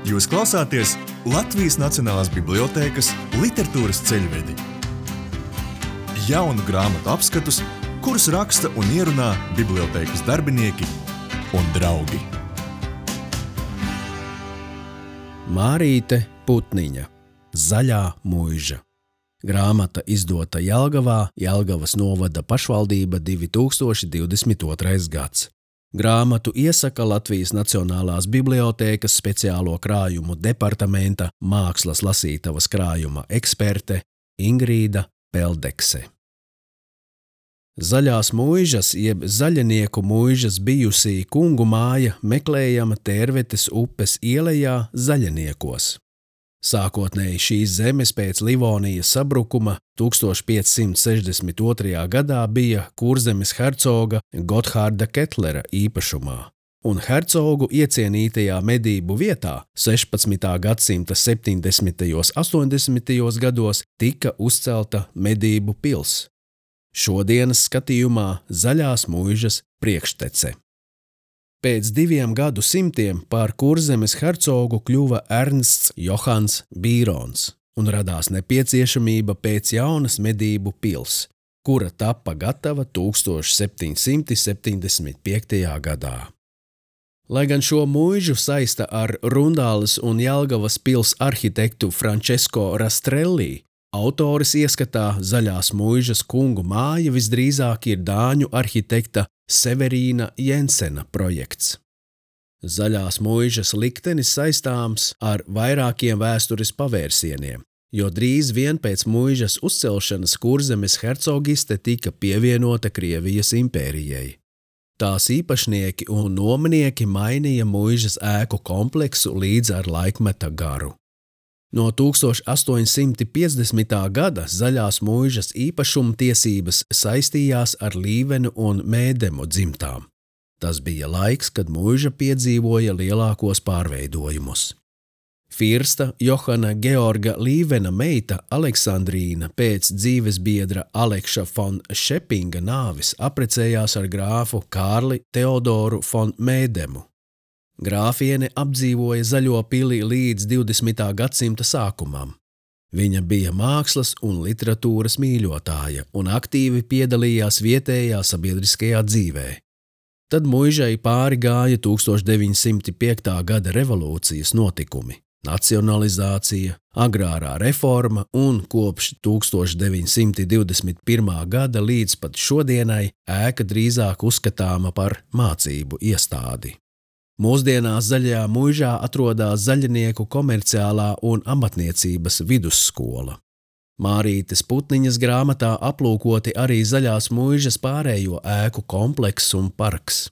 Jūs klausāties Latvijas Nacionālās bibliotēkas literatūras ceļvedi. Jaunu grāmatu apskatus, kurus raksta un ierunā bibliotēkas darbinieki un draugi. Mārīte Putniņa, Zaļā muiža. Grāmata izdota Jelgavā, Jelgavas novada pašvaldība 2022. gads. Grāmatu iesaka Latvijas Nacionālās bibliotēkas speciālo krājumu departamenta mākslas lasītavas krājuma eksperte Ingrīda Peldekse. Zaļās muižas jeb zaļanieku muižas bijusī kungu māja meklējama Tērvetes upes ielejā Zaļaniekos. Sākotnēji šīs zemes pēc Livonijas sabrukuma 1562. gadā bija Kurzemes hercoga Gotthārda Ketlera īpašumā, un hercogu iecienītajā medību vietā 16. gadsimta 70. un 80. gados tika uzcelta medību pils. Šodienas skatījumā Zaļās muižas priekštece. Pēc 2 gadsimtiem par Kurzemes hercogu kļuva Ernsts Johans Bīrons, un radās nepieciešamība pēc jaunas medību pils, kura tappa gatava 1775. gadā. Lai gan šo muižu saista ar Rundāles un Jelgavas pils arhitektu Francesco Rastrelli, autoris ieskatā Zaļās muižas kungu māja visdrīzāk ir dāņu arhitekta Severīna Jensena projekts. Zaļās muižas liktenis saistāms ar vairākiem vēstures pavērsieniem, jo drīz vien pēc muižas uzcelšanas Kurzemes hercogiste tika pievienota Krievijas impērijai. Tās īpašnieki un nomnieki mainīja muižas ēku kompleksu līdz ar laikmeta garu. No 1850. gada Zaļās muižas īpašumtiesības saistījās ar Līvenu un Mēdemu dzimtām. Tas bija laiks, kad muiža piedzīvoja lielākos pārveidojumus. Firsta Johana Georga Līvena meita Aleksandrīna pēc dzīvesbiedra Alekša von Šepinga nāves apprecējās ar grāfu Kārli Teodoru von Mēdemu. Grāfiene apdzīvoja Zaļo pili līdz 20. gadsimta sākumam. Viņa bija mākslas un literatūras mīļotāja un aktīvi piedalījās vietējā sabiedriskajā dzīvē. Tad muižai pāri gāja 1905. gada revolūcijas notikumi, nacionalizācija, agrārā reforma un kopš 1921. gada līdz pat šodienai ēka drīzāk uzskatāma par mācību iestādi. Mūsdienās Zaļajā muižā atrodas Zaļanieku komerciālā un amatniecības vidusskola. Mārītes Putniņas grāmatā aplūkoti arī Zaļās muižas pārējo ēku komplekss un parks.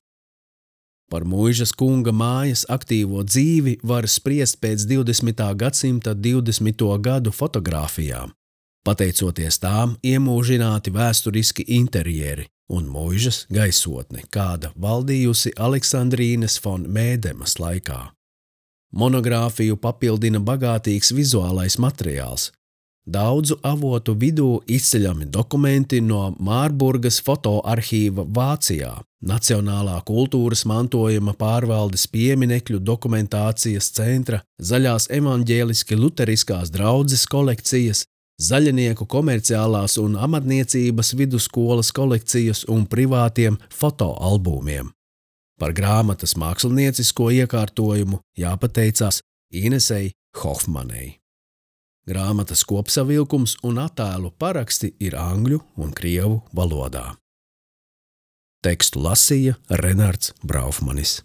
Par muižas kunga mājas aktīvo dzīvi var spriest pēc 20. gadsimta 20. gadu fotogrāfijām. Pateicoties tām iemūžināti vēsturiski interjeri un muižas gaisotne, kāda valdījusi Aleksandrīnes von Mēdemas laikā. Monogrāfiju papildina bagātīgs vizuālais materiāls. Daudzu avotu vidū izceļami dokumenti no Mārburgas fotoarhīva Vācijā, Nacionālā kultūras mantojuma pārvaldes pieminekļu dokumentācijas centra, Zaļās evaņģēliski luteriskās draudzes kolekcijas, Zaļanieku komerciālās un amatniecības vidusskolas kolekcijas un privātiem fotoalbumiem. Par grāmatas māksliniecisko iekārtojumu jāpateicās Inesei Hofmanei. Grāmatas kopsavilkums un attēlu paraksti ir angļu un krievu valodā. Tekstu lasīja Renards Braufmanis.